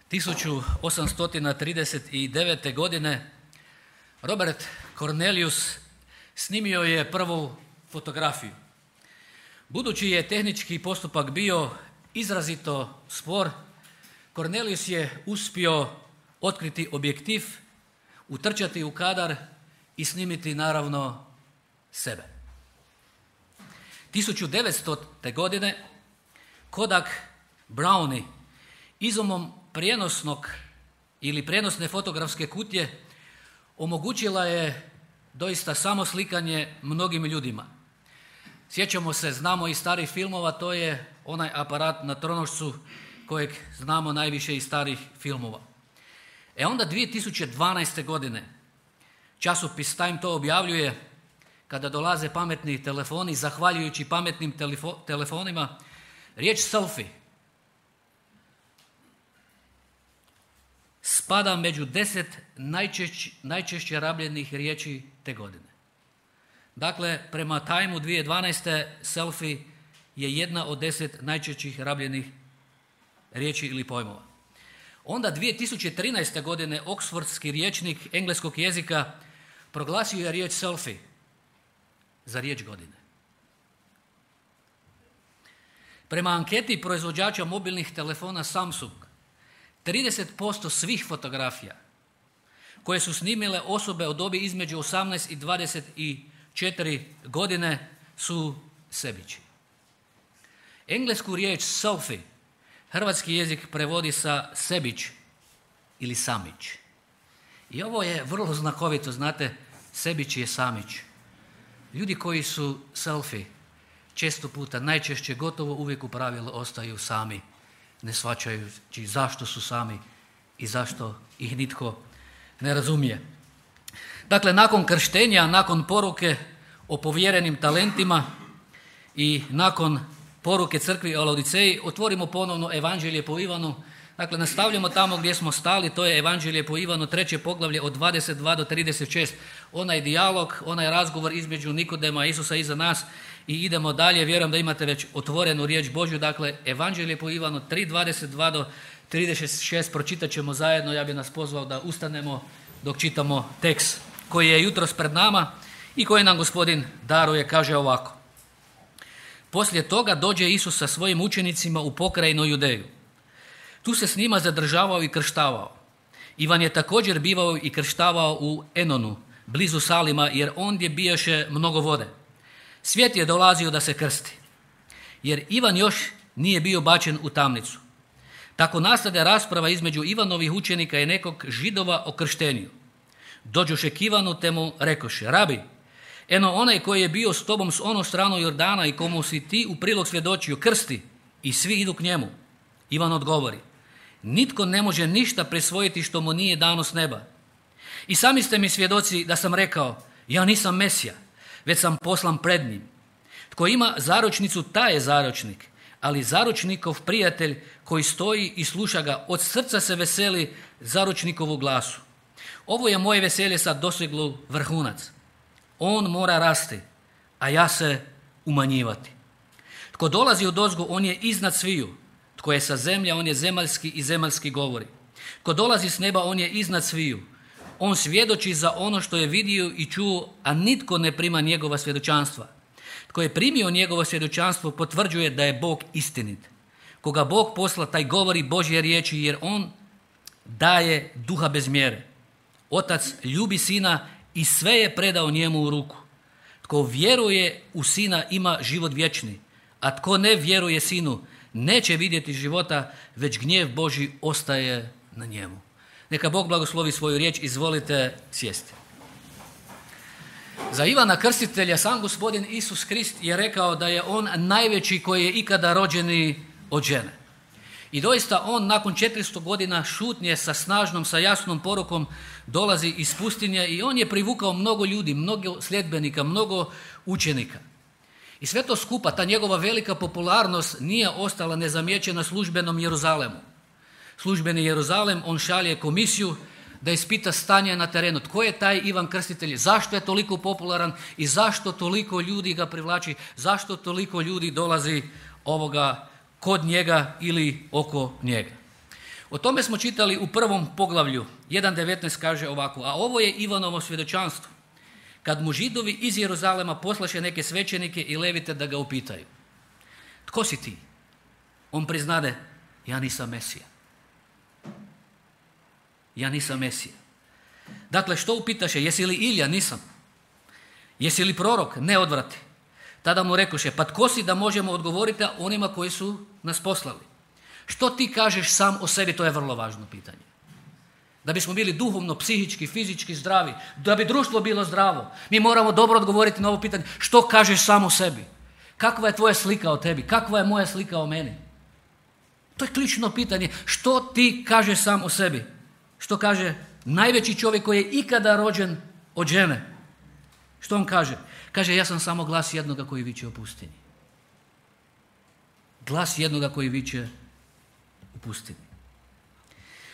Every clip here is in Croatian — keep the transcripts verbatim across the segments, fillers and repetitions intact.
tisuću osamsto trideset devete. godine Robert Cornelius snimio je prvu fotografiju. Budući je tehnički postupak bio izrazito spor, Cornelius je uspio otkriti objektiv, utrčati u kadar i snimiti naravno sebe. tisuću devetstote. godine Kodak Brownie izumom prijenosnog ili prijenosne fotografske kutije omogućila je doista samo slikanje mnogim ljudima. Sjećamo se, znamo iz starih filmova, to je onaj aparat na tronošcu kojeg znamo najviše iz starih filmova. E onda dvije tisuće dvanaeste. godine časopis Time to objavljuje, kada dolaze pametni telefoni, zahvaljujući pametnim telefo- telefonima, riječ selfie spada među deset najčešće, najčešće rabljenih riječi te godine. Dakle, prema Time-u dvije tisuće dvanaeste. selfie je jedna od deset najčešćih rabljenih riječi ili pojmova. Onda dvije tisuće trinaeste. godine Oxfordski rječnik engleskog jezika proglasio je riječ selfie za riječ godine. Prema anketi proizvođača mobilnih telefona Samsung, trideset posto svih fotografija koje su snimile osobe od dobi između osamnaest i dvadeset četiri godine su sebići. Englesku riječ selfie hrvatski jezik prevodi sa sebić ili samić. I ovo je vrlo znakovito, znate, sebić je samić. Ljudi koji su selfie često puta, najčešće, gotovo uvijek u pravilu ostaju sami, ne shvaćajući zašto su sami i zašto ih nitko ne razumije. Dakle, nakon krštenja, nakon poruke o povjerenim talentima i nakon poruke crkvi o Laodiceji, otvorimo ponovno Evanđelje po Ivanu. Dakle, nastavljamo tamo gdje smo stali, to je Evanđelje po Ivanu, treće poglavlje od dvadeset dva do trideset šest. Onaj dijalog, onaj razgovor između Nikodema i Isusa iza nas i idemo dalje. Vjerujem da imate već otvorenu riječ Božju. Dakle, Evanđelje po Ivanu tri dvadeset dva do trideset šest pročitat ćemo zajedno. Ja bih nas pozvao da ustanemo dok čitamo tekst koji je jutros pred nama i koji nam Gospodin daruje. Kaže ovako: Poslije toga dođe Isus sa svojim učenicima u pokrajinu Judeju. Tu se s njima zadržavao i krštavao. Ivan je također bivao i krštavao u Enonu, blizu Salima, jer ondje bijaše mnogo vode. Svijet je dolazio da se krsti, jer Ivan još nije bio bačen u tamnicu. Tako nastade rasprava između Ivanovih učenika i nekog Židova o krštenju. Dođoše k Ivanu te mu rekoše: Rabi, eno onaj koji je bio s tobom s onom stranu Jordana i komu si ti u prilog svjedočio, krsti, i svi idu k njemu. Ivan odgovori: Nitko ne može ništa prisvojiti što mu nije dano s neba. I sami ste mi svjedoci da sam rekao: ja nisam Mesija, već sam poslan pred njim. Tko ima zaručnicu, taj je zaručnik, ali zaručnikov prijatelj koji stoji i sluša ga, od srca se veseli zaručnikovu glasu. Ovo je moje veselje sad doseglo vrhunac. On mora rasti, a ja se umanjivati. Tko dolazi odozgo, on je iznad sviju. Tko je sa zemlje, on je zemaljski i zemaljski govori. Tko dolazi s neba, on je iznad sviju. On svjedoči za ono što je vidio i čuo, a nitko ne prima njegova svjedočanstva. Tko je primio njegovo svjedočanstvo, potvrđuje da je Bog istinit. Koga Bog posla, taj govori Božje riječi, jer on daje duha bez mjere. Otac ljubi sina i sve je predao njemu u ruku. Tko vjeruje u sina ima život vječni, a tko ne vjeruje sinu neće vidjeti života, već gnjev Božji ostaje na njemu. Neka Bog blagoslovi svoju riječ. Izvolite sjesti. Za Ivana Krstitelja sam Gospodin Isus Krist je rekao da je on najveći koji je ikada rođeni od žene. I doista on nakon četiristo godina šutnje sa snažnom, sa jasnom porukom dolazi iz pustinje i on je privukao mnogo ljudi, mnogo sljedbenika, mnogo učenika. I sve to skupa, ta njegova velika popularnost nije ostala nezamijećena službenom Jeruzalemu. Službeni Jeruzalem, on šalje komisiju da ispita stanje na terenu. Tko je taj Ivan Krstitelj? Zašto je toliko popularan i zašto toliko ljudi ga privlači? Zašto toliko ljudi dolazi ovoga kod njega ili oko njega? O tome smo čitali u prvom poglavlju. jedan devetnaest kaže ovako: a ovo je Ivanovo svjedočanstvo, kad mu Židovi iz Jeruzalema poslaše neke svećenike i levite da ga upitaju: tko si ti? On priznade: ja nisam Mesija. Ja nisam Mesija. Dakle, što upitaše? Jesi li Ilija? Nisam. Jesi li prorok? Ne, odvrati. Tada mu rekoše: pa tko si da možemo odgovoriti onima koji su nas poslali? Što ti kažeš sam o sebi? To je vrlo važno pitanje. Da bismo bili duhovno, psihički, fizički zdravi, da bi društvo bilo zdravo, mi moramo dobro odgovoriti na ovo pitanje: što kažeš sam o sebi? Kakva je tvoja slika o tebi? Kakva je moja slika o meni? To je ključno pitanje. Što ti kažeš sam o sebi? Što kaže najveći čovjek koji je ikada rođen od žene? Što on kaže? Kaže: ja sam samo glas jednoga koji viče u pustinji. Glas jednoga koji viče u pustinji.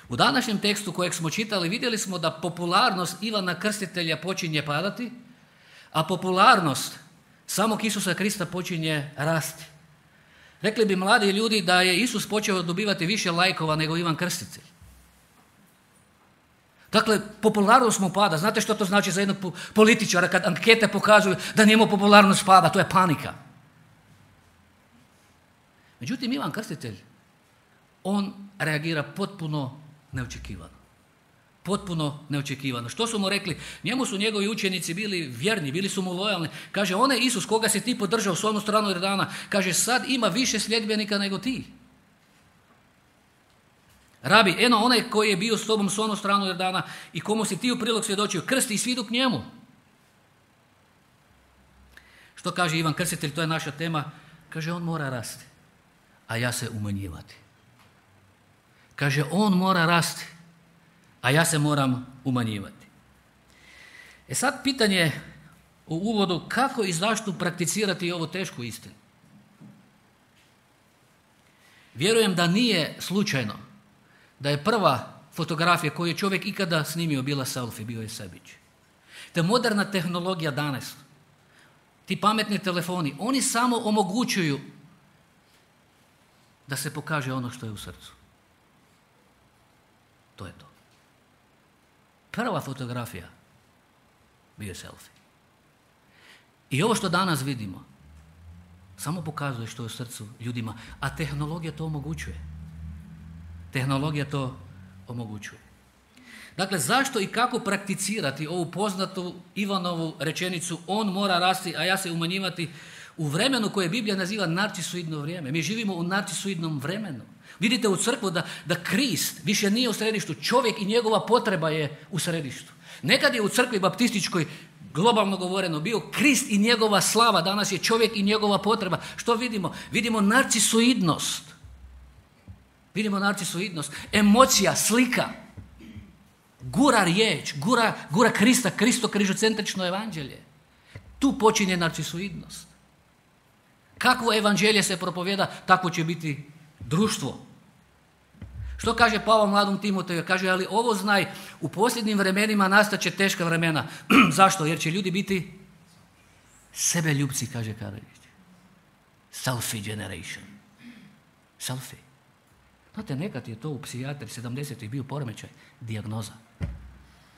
U današnjem tekstu kojeg smo čitali vidjeli smo da popularnost Ivana Krstitelja počinje padati, a popularnost samog Isusa Krista počinje rasti. Rekli bi mladi ljudi da je Isus počeo dobivati više lajkova nego Ivan Krstitelj. Dakle, popularnost mu pada. Znate što to znači za jednog političara kad ankete pokazuju da njemu popularnost pada? To je panika. Međutim, Ivan Krstitelj, on reagira potpuno neočekivano. Potpuno neočekivano. Što su mu rekli? Njemu su njegovi učenici bili vjerni, bili su mu lojalni. Kaže: onaj Isus koga si ti podržao s onu stranu Jordana, kaže, sad ima više sljedbenika nego ti. Rabi, eno onaj koji je bio s tobom s onu stranu Jordana i komu si ti u prilog svjedočio, krsti i svidu k njemu. Što kaže Ivan Krstitelj? To je naša tema. Kaže: on mora rasti, a ja se umanjivati. Kaže: on mora rasti, a ja se moram umanjivati. E sad pitanje u uvodu: kako i zašto prakticirati ovu tešku istinu? Vjerujem da nije slučajno da je prva fotografija koju je čovjek ikada snimio bila selfie, bio je sebić. Te moderna tehnologija danas, ti pametni telefoni, oni samo omogućuju da se pokaže ono što je u srcu. To je to. Prva fotografija bio je selfie. I ovo što danas vidimo samo pokazuje što je u srcu ljudima, a tehnologija to omogućuje. Tehnologija to omogućuje. Dakle, zašto i kako prakticirati ovu poznatu Ivanovu rečenicu: on mora rasti, a ja se umanjivati, u vremenu koje Biblija naziva narcisoidno vrijeme? Mi živimo u narcisoidnom vremenu. Vidite u crkvu da, da Krist više nije u središtu, čovjek i njegova potreba je u središtu. Nekad je u crkvi baptističkoj, globalno govoreno, bio Krist i njegova slava, danas je čovjek i njegova potreba. Što vidimo? Vidimo narcisoidnost. Vidimo narcisoidnost, emocija, slika, gura riječ, gura, gura Krista, Kristo križocentrično evanđelje. Tu počinje narcisoidnost. Kakvo evanđelje se propovjeda, takvo će biti društvo. Što kaže Pavao mladom Timoteju? Kaže: ali ovo znaj, u posljednjim vremenima nastaće teška vremena. Zašto? Jer će ljudi biti sebeljubci, kaže Karalić. Selfie generation. Selfie. Znate, nekad je to u psihijatri sedamdesetih bio poremećaj, dijagnoza.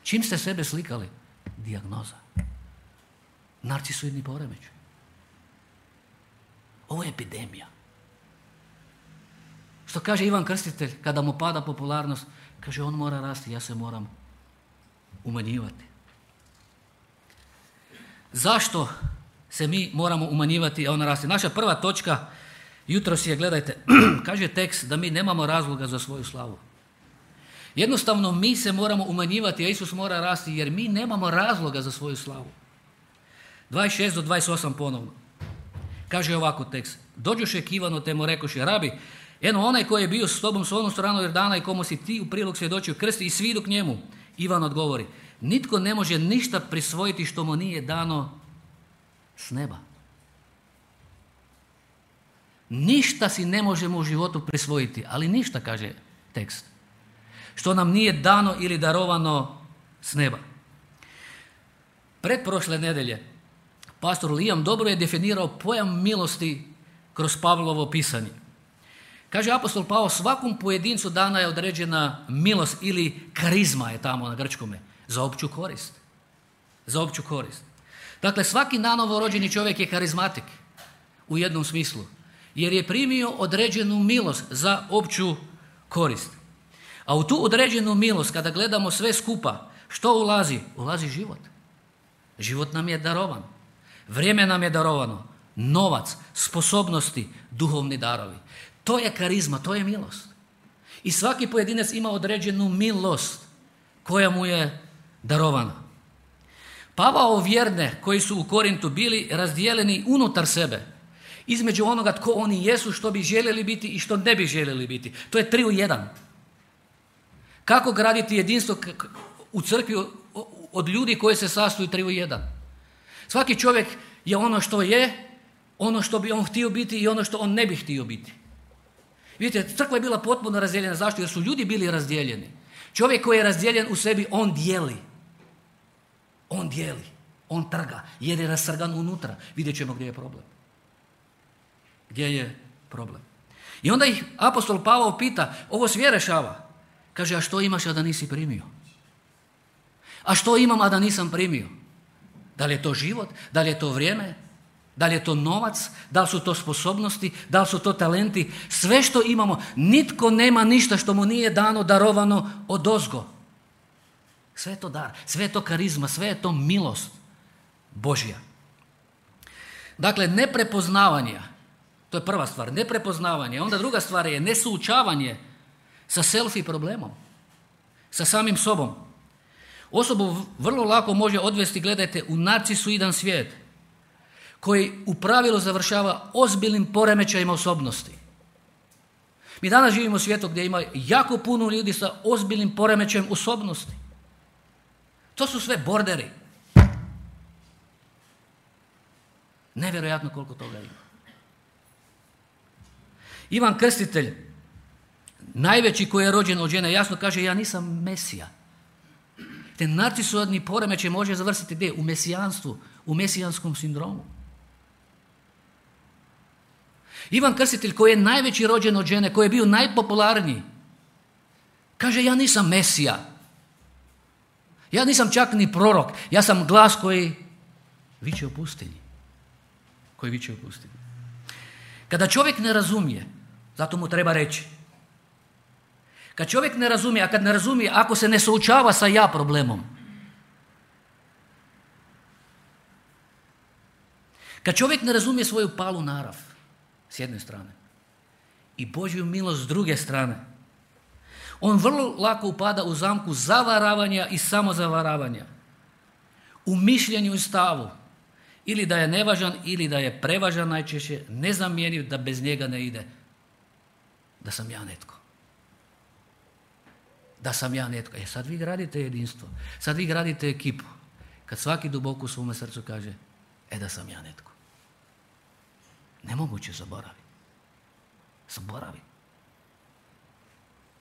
Čim ste sebe slikali? Dijagnoza. Narcisoidni poremećaj. Ovo je epidemija. Što kaže Ivan Krstitelj kada mu pada popularnost? Kaže: on mora rasti, ja se moram umanjivati. Zašto se mi moramo umanjivati, a on rasti? Naša prva točka jutros je, gledajte, kaže tekst da mi nemamo razloga za svoju slavu. Jednostavno mi se moramo umanjivati, a Isus mora rasti, jer mi nemamo razloga za svoju slavu. dvadeset šest do dvadeset osam ponovno. Kaže ovako tekst: dođoše k Ivanu te mu rekoše: rabi, eno onaj koji je bio s tobom s onu stranu Jordana i komu si ti u prilog svjedočio, krsti i svidu k njemu. Ivan odgovori: nitko ne može ništa prisvojiti što mu nije dano s neba. Ništa si ne možemo u životu prisvojiti, ali ništa, kaže tekst, što nam nije dano ili darovano s neba. Pretprošle nedelje pastor Liam dobro je definirao pojam milosti kroz Pavlovo pisanje. Kaže apostol Pavao, svakom pojedincu dana je određena milost ili karizma je tamo na grčkome, za opću korist. Za opću korist. Dakle, svaki nanovo rođeni čovjek je karizmatik u jednom smislu, jer je primio određenu milost za opću korist. A u tu određenu milost, kada gledamo sve skupa, što ulazi? Ulazi život. Život nam je darovan. Vrijeme nam je darovano. Novac, sposobnosti, duhovni darovi. To je karizma, to je milost. I svaki pojedinac ima određenu milost koja mu je darovana. Pavao vjerne koji su u Korintu bili razdijeljeni unutar sebe, između onoga tko oni jesu, što bi željeli biti i što ne bi željeli biti. To je tri u jedan. Kako graditi jedinstvo u crkvi od ljudi koji se sastoju tri u jedan? Svaki čovjek je ono što je, ono što bi on htio biti i ono što on ne bi htio biti. Vidite, crkva je bila potpuno razdijeljena. Zašto? Jer su ljudi bili razdijeljeni. Čovjek koji je razdijeljen u sebi, on dijeli. On dijeli. On trga. Jer je rasrgan unutra. Vidjet ćemo gdje je problem. Gdje je problem. I onda ih apostol Pavao pita, ovo sve rešava. Kaže, a što imaš, a da nisi primio? A što imam, a da nisam primio? Da li je to život? Da li je to vrijeme? Da li je to novac? Da li su to sposobnosti? Da li su to talenti? Sve što imamo, nitko nema ništa što mu nije dano, darovano odozgo. Sve je to dar, sve je to karizma, sve je to milost Božja. Dakle, neprepoznavanje, to je prva stvar, neprepoznavanje. Onda druga stvar je nesuočavanje sa selfie problemom, sa samim sobom. Osobu vrlo lako može odvesti, gledajte, u narcisoidan svijet koji u pravilu završava ozbiljnim poremećajima osobnosti. Mi danas živimo u svijetu gdje ima jako puno ljudi sa ozbiljnim poremećajem osobnosti. To su sve borderi. Nevjerojatno koliko toga ima. Ivan Krstitelj, najveći koji je rođen od žene, jasno kaže, ja nisam Mesija. Te narcisoidni poremećaj može završiti gdje? U mesijanstvu, u mesijanskom sindromu. Ivan Krstitelj koji je najveći rođen od žene, koji je bio najpopularniji, kaže, ja nisam Mesija. Ja nisam čak ni prorok, ja sam glas koji viče u pustinji. Koji viče u pustinji. Kada čovjek ne razumije, zato mu treba reći. Kad čovjek ne razumije, a kad ne razumije, ako se ne suočava sa ja problemom, kad čovjek ne razumije svoju palu narav, s jedne strane, i Božju milost s druge strane, on vrlo lako upada u zamku zavaravanja i samozavaravanja, u mišljenju i stavu, ili da je nevažan, ili da je prevažan, najčešće nezamjenjiv, da bez njega ne ide, da sam ja netko. Da sam ja netko. E sad vi gradite jedinstvo, sad vi gradite ekipu, kad svaki duboko u svome srcu kaže, e da sam ja netko. Nemoguće zaboravi. Zaboravi.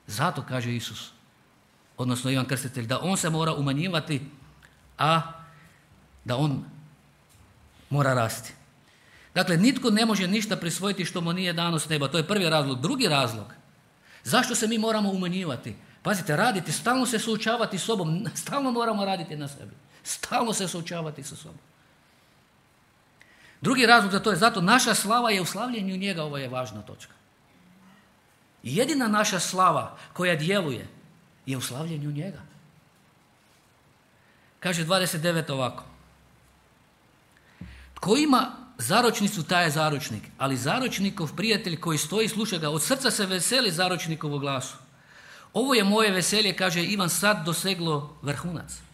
Zato kaže Isus, odnosno Ivan Krstitelj, da on se mora umanjivati, a da on mora rasti. Dakle, nitko ne može ništa prisvojiti što mu nije dano s neba. To je prvi razlog. Drugi razlog, zašto se mi moramo umanjivati? Pazite, raditi, stalno se suočavati s sobom, stalno moramo raditi na sebi. Stalno se suočavati sa sobom. Drugi razlog za to je zato naša slava je u slavljenju njega, ovo je važna točka. Jedina naša slava koja djeluje je u slavljenju njega. Kaže dvadeset devet ovako. Tko ima zaročnicu, taj je zaročnik, ali zaročnikov prijatelj koji stoji, sluša ga, od srca se veseli zaročnikovu glasu. Ovo je moje veselje, kaže Ivan, sad doseglo vrhunac.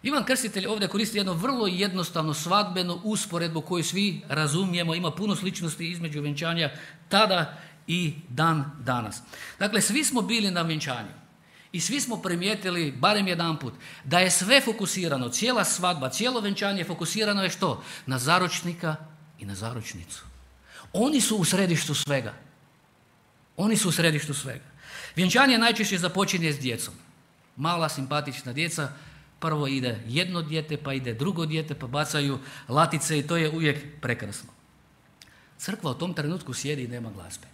Ivan Krstitelj ovdje koristi jedno vrlo jednostavno svadbenu usporedbu koju svi razumijemo, ima puno sličnosti između vjenčanja tada i dan danas. Dakle, svi smo bili na vjenčanju i svi smo primijetili, barem jedanput, da je sve fokusirano, cijela svadba, cijelo vjenčanje fokusirano je što? Na zaročnika i na zaročnicu. Oni su u središtu svega. Oni su u središtu svega. Vjenčanje najčešće započinje s djecom. Mala, simpatična djeca, prvo ide jedno dijete, pa ide drugo dijete, pa bacaju latice i to je uvijek prekrasno. Crkva u tom trenutku sjedi i nema glazbe.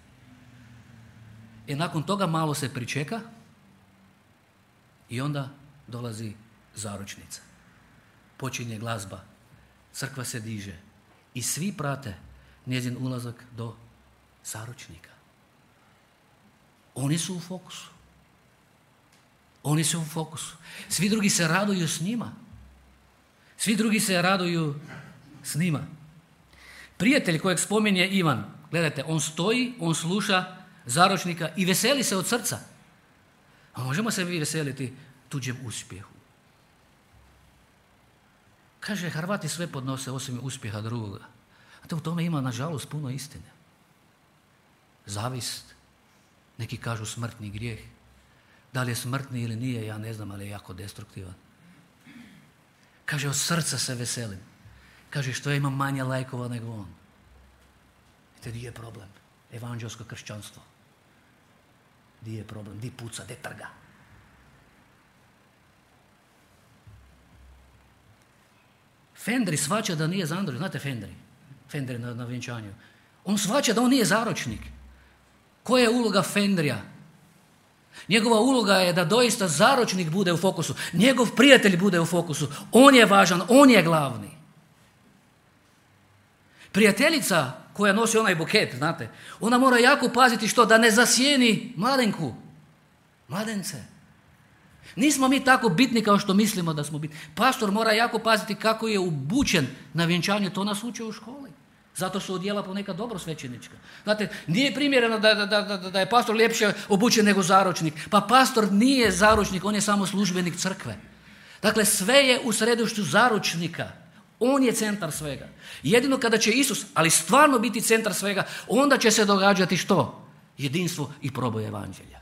I nakon toga malo se pričeka i onda dolazi zaručnica. Počinje glazba, crkva se diže i svi prate njezin ulazak do zaručnika. Oni su u fokusu. Oni su u fokusu. Svi drugi se raduju s njima. Svi drugi se raduju s njima. Prijatelj kojeg spominje Ivan, gledajte, on stoji, on sluša zaručnika i veseli se od srca. A možemo se vi veseliti tuđem uspjehu? Kaže, Hrvati sve podnose osim uspjeha drugoga. A to u tome ima, nažalost, puno istine. Zavist, neki kažu smrtni grijeh. Da li je smrtni ili nije, ja ne znam, ali je jako destruktivan. Kaže, od srca se veselim. Kaže, što ja imam manje lajkova nego on. Vidite, di je problem? Evanđelsko kršćanstvo. Di je problem? Di puca, di trga? Fendri shvaća da nije zaročnik. Znate Fendri? Fendri na, na vjenčanju. On shvaća da on nije zaročnik. Koja je uloga Fendrija? Njegova uloga je da doista zaročnik bude u fokusu. Njegov prijatelj bude u fokusu. On je važan, on je glavni. Prijateljica koja nosi onaj buket, znate, ona mora jako paziti što? Da ne zasjeni mladenku. Mladence. Nismo mi tako bitni kao što mislimo da smo bitni. Pastor mora jako paziti kako je obučen na vjenčanju, to nas uče u školi. Zato su odjela ponekad dobro svećenička. Znate, nije primjereno da, da, da, da je pastor ljepše obučen nego zaročnik. Pa pastor nije zaročnik, on je samo službenik crkve. Dakle, sve je u središtu zaročnika. On je centar svega. Jedino kada će Isus, ali stvarno biti centar svega, onda će se događati što? Jedinstvo i proboj evanđelja.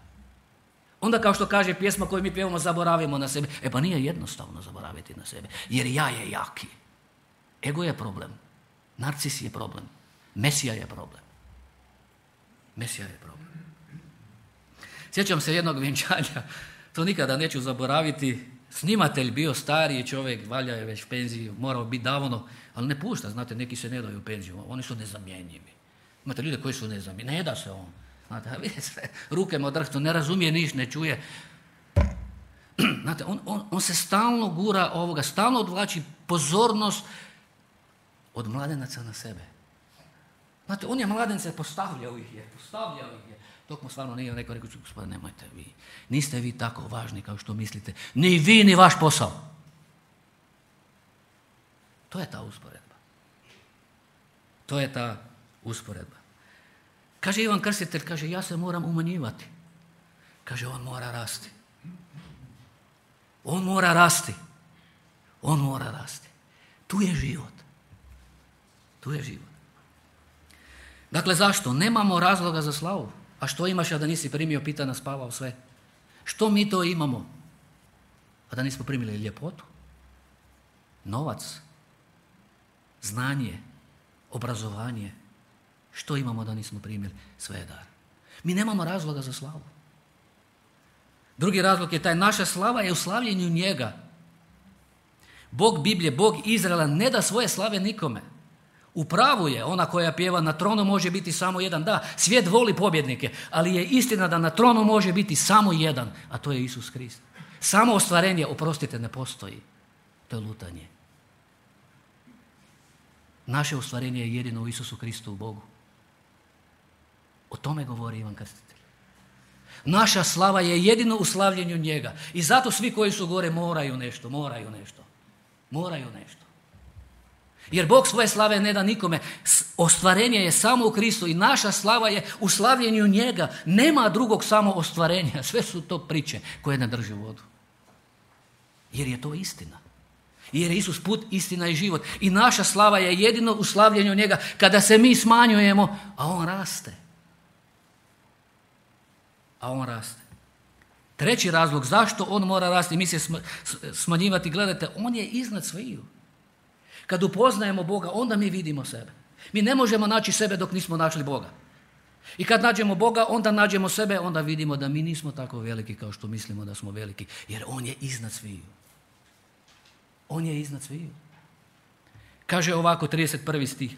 Onda, kao što kaže pjesma koju mi pjevamo, zaboravimo na sebe. E pa nije jednostavno zaboraviti na sebe, jer ja je jaki. Ego je problem. Narcis je problem. Mesija je problem. Mesija je problem. Sjećam se jednog vjenčanja, to nikada neću zaboraviti. Snimatelj bio stariji čovjek, valja je već penziji, morao biti davno, ali ne pušta, znate, neki se ne daju u penziju, oni su nezamjenjivi. Imate ljude koji su nezamjenjivi, ne da se on. Znate, vidite sve, ruke mu drhtu, ne razumije niš, ne čuje. Znate, on, on, on se stalno gura ovoga, stalno odvlači pozornost od mladenaca na sebe. Znate, on je mladence postavljao ih je, postavljao ih je. Dok mu stvarno nije neko rekao, gospodine, nemojte vi, niste vi tako važni kao što mislite, ni vi, ni vaš posao. To je ta usporedba. To je ta usporedba. Kaže Ivan Krstitelj, kaže, ja se moram umanjivati. Kaže, on mora rasti. On mora rasti. On mora rasti. Tu je život. Tu je život. Dakle, zašto? Nemamo razloga za slavu. A što imaš, a da nisi primio, pita nas Pavao sve. Što mi to imamo? A da nismo primili ljepotu, novac, znanje, obrazovanje. Što imamo da nismo primili? Sve je dar. Mi nemamo razloga za slavu. Drugi razlog je taj, naša slava je u slavljenju njega. Bog Biblije, Bog Izraela ne da svoje slave nikome. U pravu je, ona koja pjeva na tronu može biti samo jedan. Da, svijet voli pobjednike, ali je istina da na tronu može biti samo jedan, a to je Isus Krist. Samo ostvarenje, oprostite, ne postoji. To je lutanje. Naše ostvarenje je jedino u Isusu Kristu, u Bogu. O tome govori Ivan Krstitelj. Naša slava je jedino u slavljenju njega. I zato svi koji su gore moraju nešto, moraju nešto. Moraju nešto. Jer Bog svoje slave ne da nikome. Ostvarenje je samo u Kristu i naša slava je u slavljenju njega. Nema drugog samo ostvarenja. Sve su to priče koje ne drže vodu. Jer je to istina. Jer je Isus put, istina i život. I naša slava je jedino u slavljenju njega. Kada se mi smanjujemo, a on raste. A on raste. Treći razlog zašto on mora rasti, mi se smanjivati, gledajte, on je iznad sviju. Kad upoznajemo Boga, onda mi vidimo sebe. Mi ne možemo naći sebe dok nismo našli Boga. I kad nađemo Boga, onda nađemo sebe, onda vidimo da mi nismo tako veliki kao što mislimo da smo veliki. Jer on je iznad sviju. On je iznad sviju. Kaže ovako, trideset prvi stih.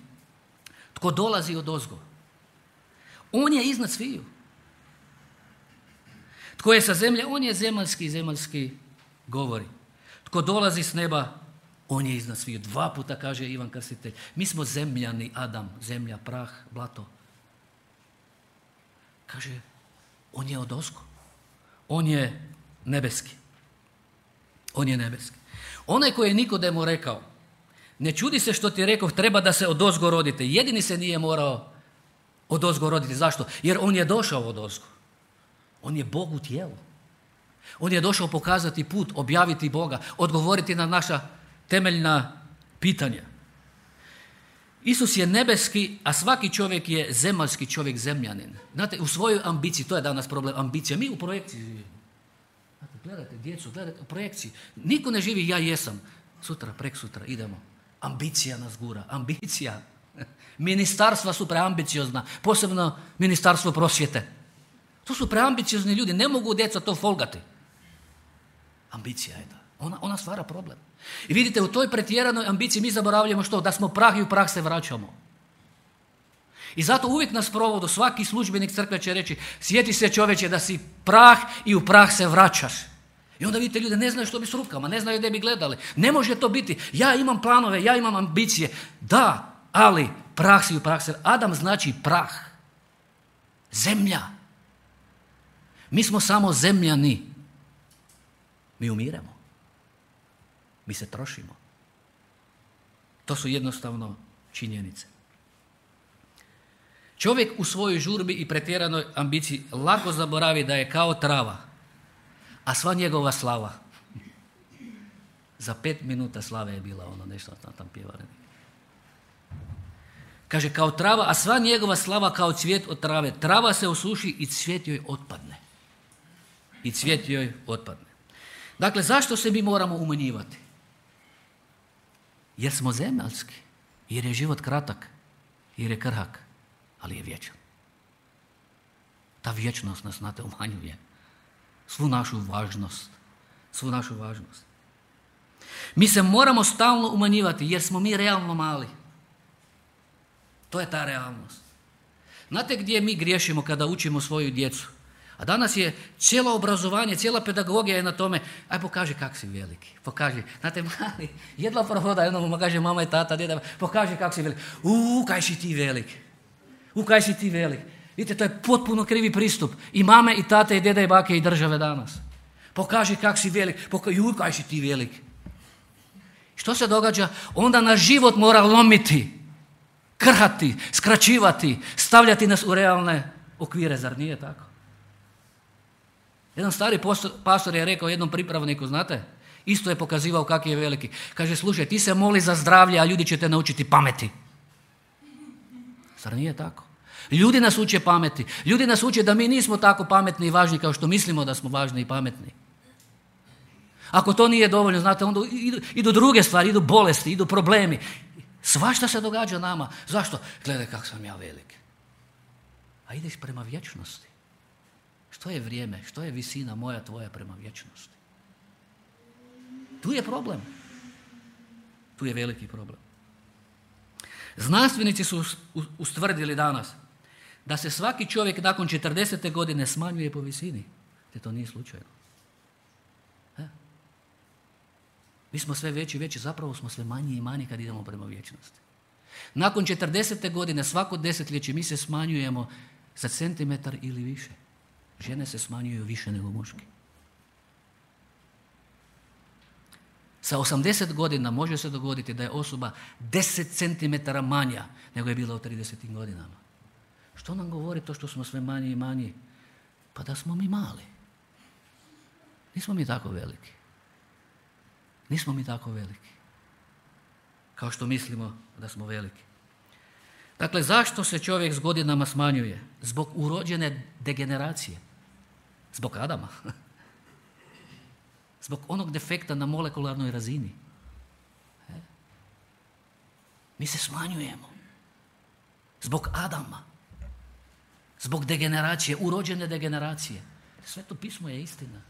Tko dolazi od ozgo, on je iznad sviju. Tko je sa zemlje, on je zemaljski i zemaljski govori. Tko dolazi s neba, on je iznad svih. Dva puta kaže Ivan Krstitelj. Mi smo zemljani, Adam, zemlja, prah, blato. Kaže, on je odozgo. On je nebeski. On je nebeski. Onaj koji je Nikodemu rekao, ne čudi se što ti je rekao, treba da se odozgo rodite. Jedini se nije morao odozgo roditi. Zašto? Jer on je došao odozgo. On je Bog u tijelu. On je došao pokazati put, objaviti Boga, odgovoriti na naša temeljna pitanja. Isus je nebeski, a svaki čovjek je zemaljski čovjek, zemljanin. Znate, u svojoj ambiciji, to je danas problem, ambicija. Mi u projekciji živimo. Znate, gledajte djecu, gledajte u projekciji. Niko ne živi ja jesam. Sutra, prek sutra, idemo. Ambicija nas gura, ambicija. Ministarstva su preambiciozna, posebno ministarstvo prosvjete. To su preambiciozni ljudi, ne mogu djeca to folgati. Ambicija je ta. Ona, ona stvara problem. I vidite, u toj pretjeranoj ambiciji mi zaboravljamo što? Da smo prah i u prah se vraćamo. I zato uvijek nas provodu, svaki službenik crkve će reći, sjeti se čovječe da si prah i u prah se vraćaš. I onda vidite, ljude ne znaju što bi s rukama, ne znaju gdje bi gledali. Ne može to biti. Ja imam planove, ja imam ambicije. Da, ali prah si u prah se. Adam znači prah. Zemlja. Mi smo samo zemljani. Mi umiremo. Mi se trošimo. To su jednostavno činjenice. Čovjek u svojoj žurbi i pretjeranoj ambiciji lako zaboravi da je kao trava, a sva njegova slava. Za pet minuta slave je bila ono nešto tam, tam pjevali. Kaže kao trava, a sva njegova slava kao cvijet od trave. Trava se osuši i cvijet joj otpadne. I cvijet joj otpadne. Dakle, zašto se mi moramo umanjivati? Jer smo zemaljski, jer je život kratak, jer je krhak, ali je vječan. Ta vječnost nas, znate, umanjuje. Svu našu važnost. Svu našu važnost. Mi se moramo stalno umanjivati, jer smo mi realno mali. To je ta realnost. Znate gdje mi griješimo kada učimo svoju djecu? A danas je cijelo obrazovanje, cijela pedagogija je na tome, aj pokaži kak si veliki, pokaži. Znate, mali, jedva prohoda, jednom mu kaže mama i tata, djeda, pokaži kak si veliki. Uuu, kaj si ti velik. Uuu, kaj si ti velik. Vidite, to je potpuno krivi pristup. I mame, i tate, i djeda, i bake, i države danas. Pokaži kak si velik, pokaži, uuu, kaj si ti velik. Što se događa? Onda nas život mora lomiti, krhati, skraćivati, stavljati nas u realne okvire, zar nije tako? Jedan stari pastor je rekao jednom pripravniku, znate, isto je pokazivao kak je veliki. Kaže, slušaj, ti se moli za zdravlje, a ljudi će te naučiti pameti. Zar nije tako? Ljudi nas uče pameti. Ljudi nas uče da mi nismo tako pametni i važni kao što mislimo da smo važni i pametni. Ako to nije dovoljno, znate, onda idu, idu druge stvari, idu bolesti, idu problemi. Svašta se događa nama. Zašto? Gledaj kak sam ja velik. A ideš prema vječnosti. Što je vrijeme? Što je visina moja, tvoja prema vječnosti? Tu je problem. Tu je veliki problem. Znanstvenici su ustvrdili danas da se svaki čovjek nakon četrdesete godine smanjuje po visini. Te to nije slučajno. He? Mi smo sve veći i veći, zapravo smo sve manji i manji kad idemo prema vječnosti. Nakon četrdesete godine, svako desetljeće, mi se smanjujemo za centimetar ili više. Žene se smanjuju više nego muški. Sa osamdeset godina može se dogoditi da je osoba deset centimetara manja nego je bila u tridesetim godinama. Što nam govori to što smo sve manji i manji? Pa da smo mi mali. Nismo mi tako veliki. Nismo mi tako veliki. Kao što mislimo da smo veliki. Dakle, zašto se čovjek s godinama smanjuje? Zbog urođene degeneracije. Zbog Adama. Zbog onog defekta na molekularnoj razini. Mi se smanjujemo. Zbog Adama. Zbog degeneracije, urođene degeneracije. Sveto pismo je istina.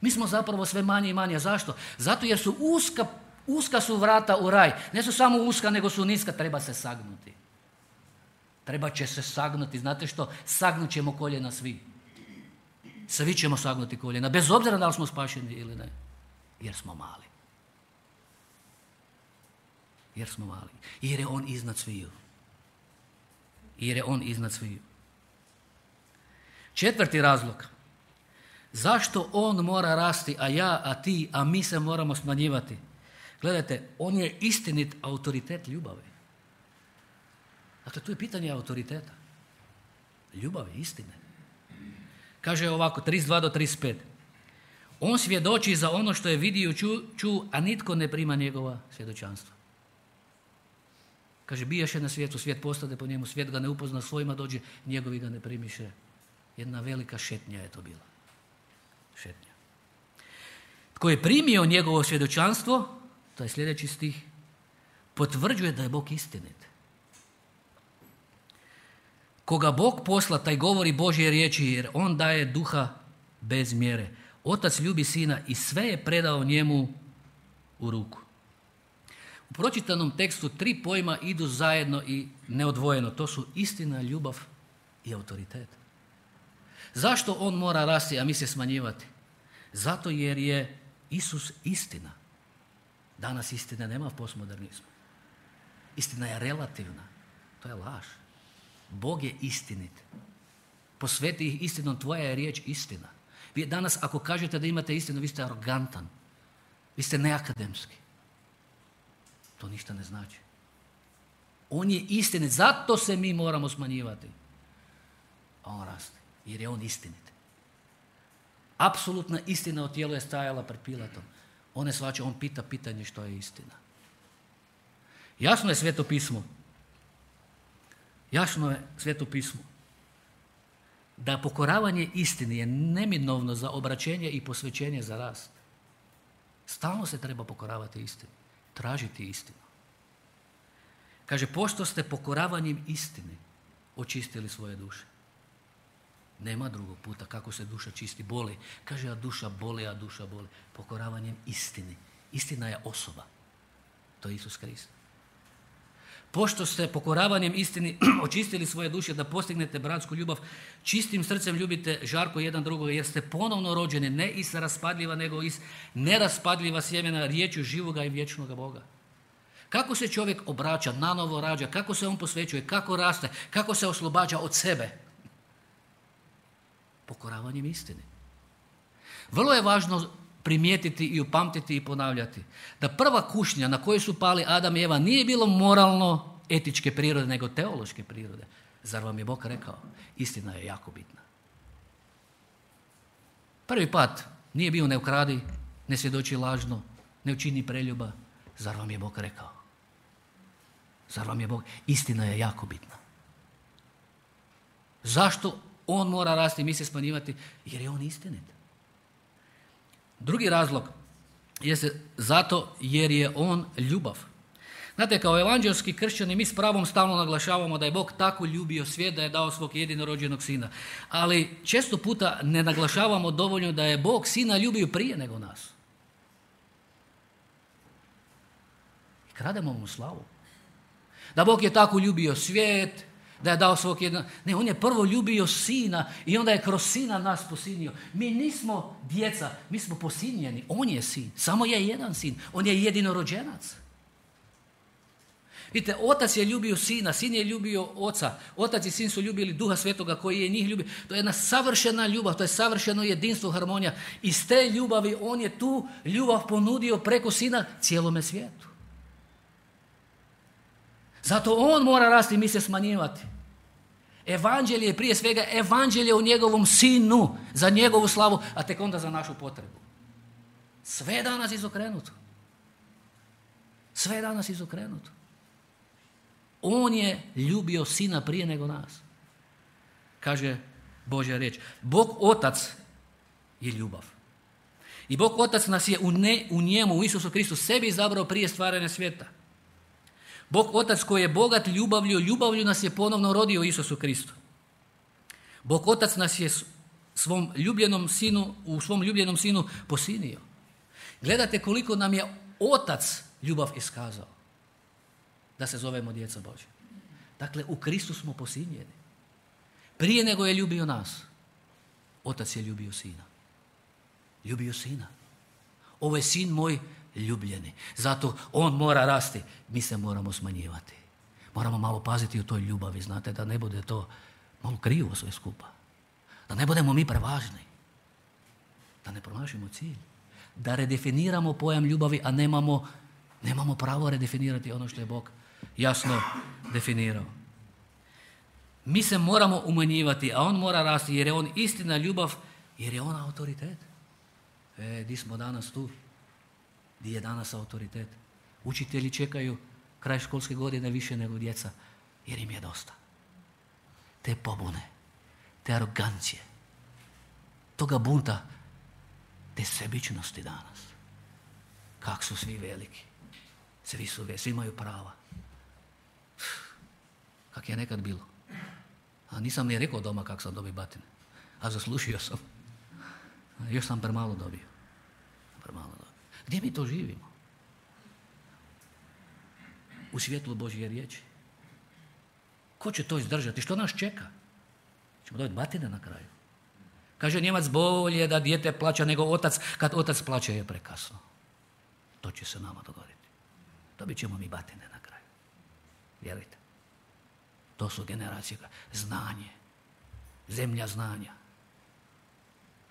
Mi smo zapravo sve manje i manje. Zašto? Zato jer su uska, uska su vrata u raj. Ne su samo uska, nego su niska. Treba se sagnuti. Treba će se sagnuti. Znate što? Sagnut ćemo koljena svi. Svi ćemo sagnuti koljena, bez obzira da li smo spašeni ili ne. Jer smo mali. Jer smo mali. Jer je on iznad sviju. Jer je on iznad sviju. Četvrti razlog. Zašto on mora rasti, a ja, a ti, a mi se moramo smanjivati? Gledajte, on je istinit autoritet ljubavi. Dakle, tu je pitanje autoriteta. Ljubavi, istine. Kaže ovako, trideset dva do trideset pet. On svjedoči za ono što je vidio ču, ču, a nitko ne prima njegova svjedočanstva. Kaže, bijaše na svijetu, svijet postade po njemu, svijet ga ne upozna, svojima dođe, njegovi ga ne primiše. Jedna velika šetnja je to bila. Šetnja. Tko je primio njegovo svjedočanstvo, to je sljedeći stih, potvrđuje da je Bog istinit. Koga Bog posla, taj govori Božje riječi, jer on daje duha bez mjere. Otac ljubi sina i sve je predao njemu u ruku. U pročitanom tekstu tri pojma idu zajedno i neodvojeno. To su istina, ljubav i autoritet. Zašto on mora rasti, a mi se smanjivati? Zato jer je Isus istina. Danas istine nema u postmodernizmu. Istina je relativna. To je laž. Bog je istinit. Posveti ih istinom, tvoja je riječ istina. Vi danas ako kažete da imate istinu, vi ste arogantan. Vi ste neakademski. To ništa ne znači. On je istinit, zato se mi moramo smanjivati. A on raste, jer je on istinit. Apsolutna istina o tijelu je stajala pred Pilatom. On ne shvaća, on pita pitanje što je istina. Jasno je Sveto pismo. Jasno je Sveto pismo. Da pokoravanje istini je neminovno za obraćenje i posvećenje za rast. Stalno se treba pokoravati istini. Tražiti istinu. Kaže, pošto ste pokoravanjem istini očistili svoje duše. Nema drugog puta kako se duša čisti, boli. Kaže, a duša boli, a duša boli. Pokoravanjem istini. Istina je osoba. To je Isus Krist. Pošto ste pokoravanjem istini očistili svoje duše da postignete bratsku ljubav, čistim srcem ljubite žarko jedan drugoga, jer ste ponovno rođeni, ne iz raspadljiva, nego iz neraspadljiva sjemena, riječju živoga i vječnoga Boga. Kako se čovjek obraća, nanovo rađa, kako se on posvećuje, kako raste, kako se oslobađa od sebe? Pokoravanjem istini. Vrlo je važno primijetiti i upamtiti i ponavljati da prva kušnja na kojoj su pali Adam i Eva nije bilo moralno etičke prirode, nego teološke prirode. Zar vam je Bog rekao? Istina je jako bitna. Prvi pad nije bio ne ukradi, ne svjedoči lažno, ne učini preljuba. Zar vam je Bog rekao? Zar vam je Bog? Istina je jako bitna. Zašto on mora rasti i mi se smanjivati? Jer je on istinit. Drugi razlog je zato jer je on ljubav. Znate, kao evanđelski kršćani mi s pravom stalno naglašavamo da je Bog tako ljubio svijet da je dao svog jedinorođenog sina. Ali često puta ne naglašavamo dovoljno da je Bog sina ljubio prije nego nas. I krademo mu slavu. Da Bog je tako ljubio svijet, da je dao svog jednog... Ne, on je prvo ljubio sina i onda je kroz sina nas posinio. Mi nismo djeca, mi smo posinjeni. On je sin, samo je jedan sin. On je jedinorođenac. Vidite, otac je ljubio sina, sin je ljubio oca. Otac i sin su ljubili Duha Svetoga koji je njih ljubio. To je jedna savršena ljubav, to je savršeno jedinstvo, harmonija. Iz te ljubavi on je tu ljubav ponudio preko sina cijelome svijetu. Zato on mora rasti i mi se smanjivati. Evanđelje je prije svega evanđelje o njegovom sinu, za njegovu slavu, a tek onda za našu potrebu. Sve je danas izokrenuto. Sve je danas izokrenuto. On je ljubio sina prije nego nas. Kaže Božja riječ. Bog Otac je ljubav. I Bog Otac nas je u, ne, u njemu, u Isusu Kristu, sebi izabrao prije stvaranja svijeta. Bog Otac koji je bogat ljubavlju, ljubavlju nas je ponovno rodio u Isusu Kristu. Bog Otac nas je svom ljubljenom sinu, u svom ljubljenom sinu posinio. Gledate koliko nam je Otac ljubav iskazao da se zovemo djeca Božja. Dakle, u Kristu smo posinjeni. Prije nego je ljubio nas. Otac je ljubio sina. Ljubio sina. Ovo je sin moj ljubljeni. Zato on mora rasti. Mi se moramo smanjivati. Moramo malo paziti u toj ljubavi, znate, da ne bude to malo krivo sve skupa. Da ne budemo mi prevažni. Da ne promašimo cilj. Da redefiniramo pojam ljubavi, a nemamo, nemamo pravo redefinirati ono što je Bog jasno definirao. Mi se moramo umanjivati, a on mora rasti, jer je on istina, ljubav, jer je on autoritet. E, di smo danas tu? Di je danas autoritet? Učitelji čekaju kraj školske godine više nego djeca, jer im je dosta. Te pobune, te arogancije, toga bunta, te sebičnosti danas. Kak su svi veliki. Svi su veliki, svi imaju prava. Kak je nekad bilo. A nisam ni rekao doma kak sam dobio batine. A zaslušio sam. A još sam premalo dobio. Premalo dobio. Gdje mi to živimo? U svjetlu Božje riječi. Ko će to izdržati? Što nas čeka? Ćemo dobiti batine na kraju. Kaže Njemac, bolje da dijete plaća nego otac. Kad otac plaća je prekasno. To će se nama dogoditi. Dobit ćemo mi batine na kraju. Vjerujte. To su generacije. Znanje. Zemlja znanja.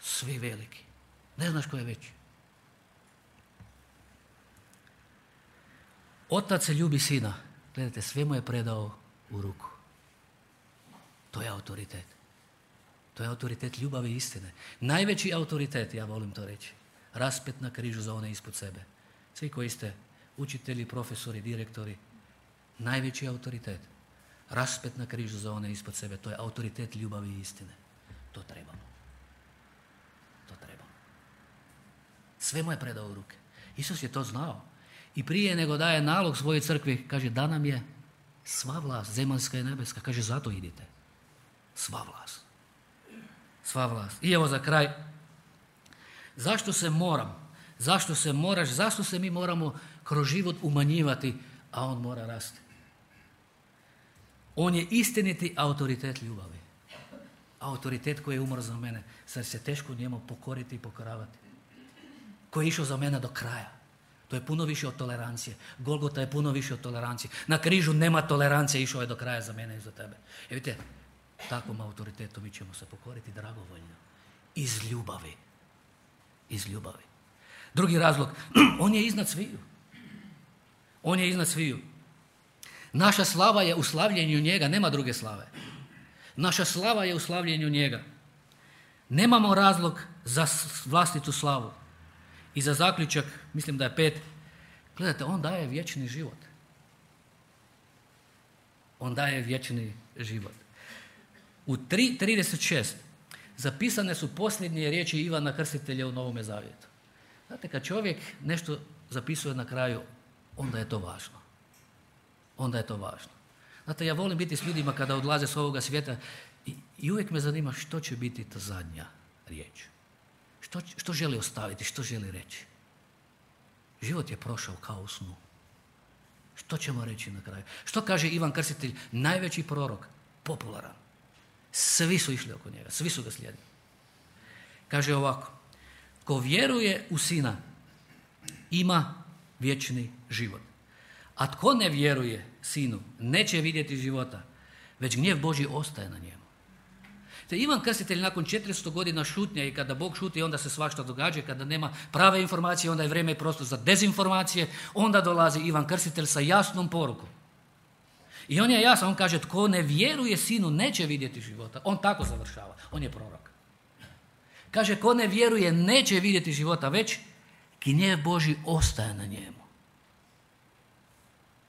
Svi veliki. Ne znaš ko je veći. Otac ljubi sina. Gledajte, sve mu je predao u ruku. To je autoritet. To je autoritet ljubavi i istine. Najveći autoritet, ja volim to reći, raspet na križu za one ispod sebe. Svi koji ste učitelji, profesori, direktori, najveći autoritet, raspet na križu za one ispod sebe. To je autoritet ljubavi i istine. To trebamo. To trebamo. Sve mu je predao u ruke. Isus je to znao. I prije nego daje nalog svojoj crkvi, kaže, da nam je sva vlast, zemaljska i nebeska. Kaže, zato idite. Sva vlast. Sva vlast. I evo za kraj, zašto se moram, zašto se moraš, zašto se mi moramo kroz život umanjivati, a on mora rasti? On je istiniti autoritet ljubavi. Autoritet koji je umro za mene, sad se teško njemu pokoriti i pokoravati. Koji je išao za mene do kraja. To je puno više od tolerancije. Golgota je puno više od tolerancije. Na križu nema tolerancije, išao je do kraja za mene i za tebe. E vidite, takvom autoritetu mi ćemo se pokoriti dragovoljno. Iz ljubavi. Iz ljubavi. Drugi razlog, on je iznad sviju. On je iznad sviju. Naša slava je u slavljenju njega, nema druge slave. Naša slava je u slavljenju njega. Nemamo razlog za vlastitu slavu. I za zaključak, mislim da je pet, gledajte, on daje vječni život. On daje vječni život. U tri trideset šest zapisane su posljednje riječi Ivana Krstitelja u Novome Zavjetu. Znate, kad čovjek nešto zapisuje na kraju, onda je to važno. Onda je to važno. Znate, ja volim biti s ljudima kada odlaze s ovoga svijeta i, i uvijek me zanima što će biti ta zadnja riječ. Što, što želi ostaviti, što želi reći. Život je prošao kao u snu. Što ćemo reći na kraju? Što kaže Ivan Krstitelj, najveći prorok, popularan. Svi su išli oko njega, svi su ga slijedili. Kaže ovako, ko vjeruje u Sina, ima vječni život. A tko ne vjeruje Sinu, neće vidjeti života, već gnjev Božji ostaje na njemu. Te Ivan Krstitelj nakon četiristo godina šutnje i kada Bog šuti, onda se svašta događa, kada nema prave informacije, onda je vrijeme i prostor za dezinformacije, onda dolazi Ivan Krstitelj sa jasnom porukom. I on je jasan, on kaže, tko ne vjeruje Sinu, neće vidjeti života. On tako završava, on je prorok. Kaže, tko ne vjeruje, neće vidjeti života, već gnjev Božji ostaje na njemu.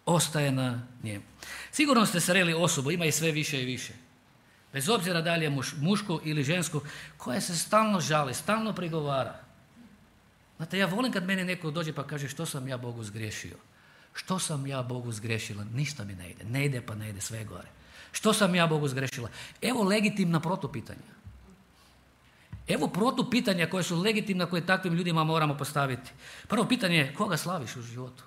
Ostaje na njemu. Sigurno ste sreli osobu, ima i sve više i više. Bez obzira da li je muš, muško ili žensko, koja se stalno žali, stalno prigovara. Znate, ja volim kad meni neko dođe pa kaže, što sam ja Bogu zgriješio? Što sam ja Bogu zgrešila? Ništa mi ne ide. Ne ide pa ne ide, sve gore. Što sam ja Bogu zgrešila? Evo legitimna protupitanja. Evo protupitanja koje su legitimna, koje takvim ljudima moramo postaviti. Prvo pitanje je, koga slaviš u životu?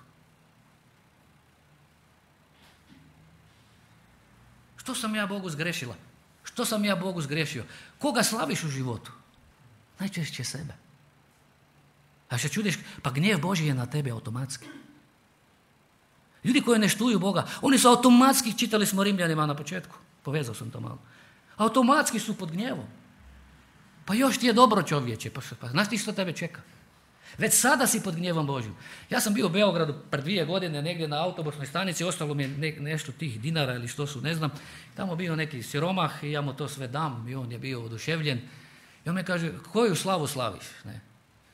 Što sam ja Bogu zgrešila? Što sam ja Bogu zgrešio? Koga slaviš u životu? Najčešće sebe. A što čudiš, pa gnjev Božji je na tebi automatski. Ljudi koji ne štuju Boga, oni su automatski, čitali smo Rimljanima na početku, povezao sam to malo, automatski su pod gnjevom. Pa još ti je dobro, čovječe, pa, pa znaš ti što tebe čeka? Već sada si pod gnjevom Božjim. Ja sam bio u Beogradu pred dvije godine negdje na autobusnoj stanici, ostalo mi je ne, nešto tih dinara ili što su, ne znam. Tamo bio neki siromah i ja mu to sve dam i on je bio oduševljen. I on me kaže, koju slavu slaviš? Ne?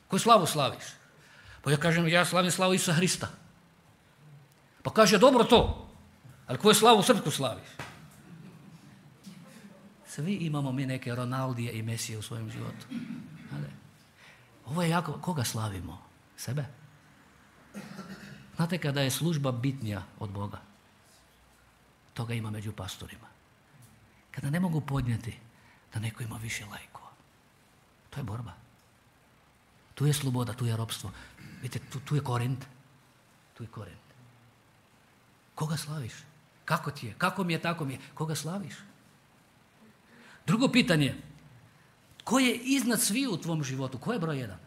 Koju slavu slaviš? Pa ja kažem, ja slavim slavu Isusa Hrista. Pa kaže, dobro to, ali koju slavu srpsku slaviš? Svi imamo mi neke Ronaldije i Mesije u svojem životu. Ali, ovo je jako, koga slavimo? Sebe? Znate kada je služba bitnija od Boga? Toga ima među pastorima. Kada ne mogu podnijeti da neko ima više lajkova. To je borba. Tu je sloboda, tu je ropstvo. Vidite, tu, tu je Korint. Tu je Korint. Koga slaviš? Kako ti je? Kako mi je, tako mi je. Koga slaviš? Drugo pitanje. Ko je iznad svih u tvom životu? Ko je broj jedan?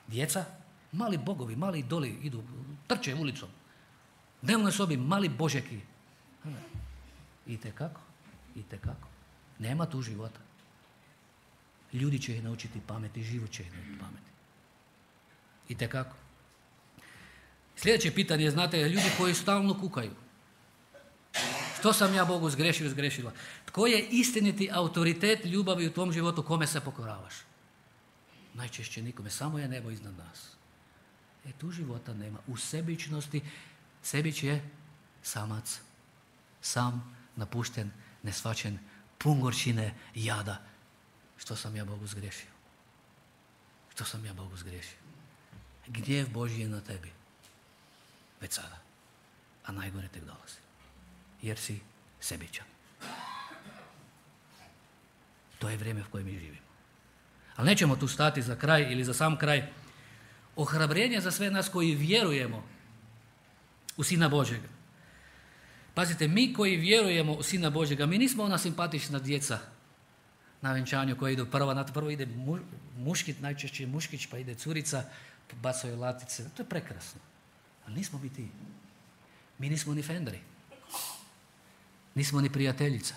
Djeca? Mali bogovi, mali idoli idu, trče ulicom. Dnevnoj sobi, mali božeki. Itekako, itekako. Nema tu života. Ljudi će ih naučiti pameti, život će ih naučiti pameti. Itekako. Sljedeće pitanje je, znate, ljudi koji stalno kukaju. Što sam ja Bogu zgrešio, zgrešila? Tko je istiniti autoritet ljubavi u tvom životu, kome se pokoravaš? Najčešće nikome, samo je nebo iznad nas. E tu života nema. U sebičnosti, sebić je samac. Sam, napušten, nesvačen, pun gorčine, jada. Što sam ja Bogu zgrešio? Što sam ja Bogu zgrešio? Gnjev Božji je na tebi. Već sada. A najgore tek dolazi. Jer si sebičan. To je vrijeme u kojem mi živimo. Ali nećemo tu stati za kraj ili za sam kraj. Ohrabrenje za sve nas koji vjerujemo u Sina Božjega. Pazite, mi koji vjerujemo u Sina Božjega, mi nismo ona simpatična djeca na venčanju koja idu prva, na to prvo ide mu, muškit, najčešće muškić, pa ide curica, bacaju latice. To je prekrasno. Ali nismo mi ti. Mi nismo ni fenderi. Nismo ni prijateljica.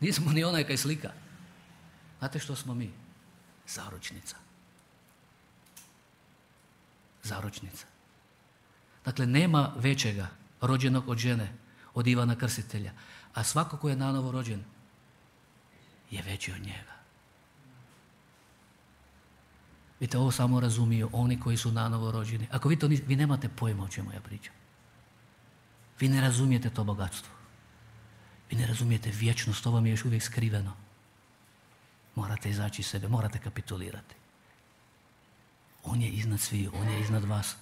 Nismo ni onaj kaj slika. Znate što smo mi? Zaručnica. Zaručnica. Dakle, nema većega rođenog od žene, od Ivana Krstitelja. A svako ko je nanovo rođen je veći od njega. Vidite, ovo samo razumiju oni koji su nanovo rođeni. Ako vi to vi nemate pojma o čemu ja pričam. Vi ne razumijete to bogatstvo. Vi ne razumijete vječnost, to vam je još uvijek skriveno. Morate izaći iz sebe, morate kapitulirati. On je iznad svih, on je iznad vas.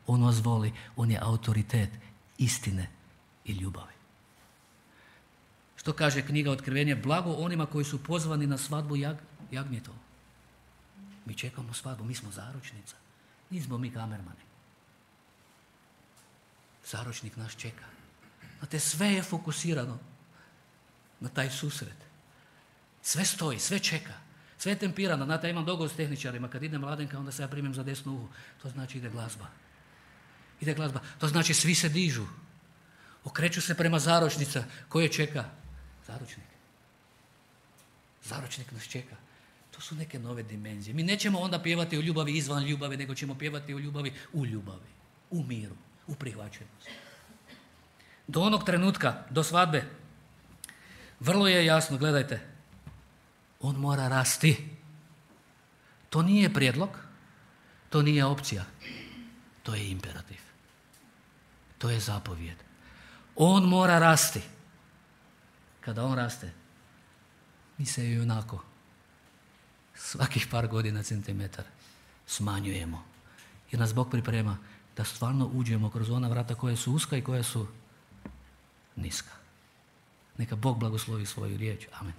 On vas voli, on je autoritet istine i ljubavi. Što kaže knjiga Otkrivenje? Blago onima koji su pozvani na svadbu jag, jagnjetovu. Mi čekamo svadbu, mi smo zaručnica. Nismo mi kamermani. Zaručnik nas čeka. Znate, sve je fokusirano na taj susret. Sve stoji, sve čeka. Sve je tempirano. Znate, ja imam dogovor s tehničarima. Kad ide Mladenka, onda se ja primim za desnu uhu. To znači ide glazba. Ide glazba. To znači svi se dižu. Okreću se prema zaručnica. Koje čeka? Zaručnik. Zaručnik nas čeka. To su neke nove dimenzije. Mi nećemo onda pjevati o ljubavi izvan ljubavi, nego ćemo pjevati o ljubavi u ljubavi, u miru, u prihvaćenosti. Do onog trenutka, do svadbe, vrlo je jasno, gledajte, on mora rasti. To nije prijedlog, to nije opcija, to je imperativ. To je zapovjed. On mora rasti. Kada on raste, mi se i onako svakih par godina centimetar smanjujemo. Jer nas Bog priprema da stvarno uđemo kroz ona vrata koje su uska i koje su niska. Neka Bog blagoslovi svoju riječ. Amen.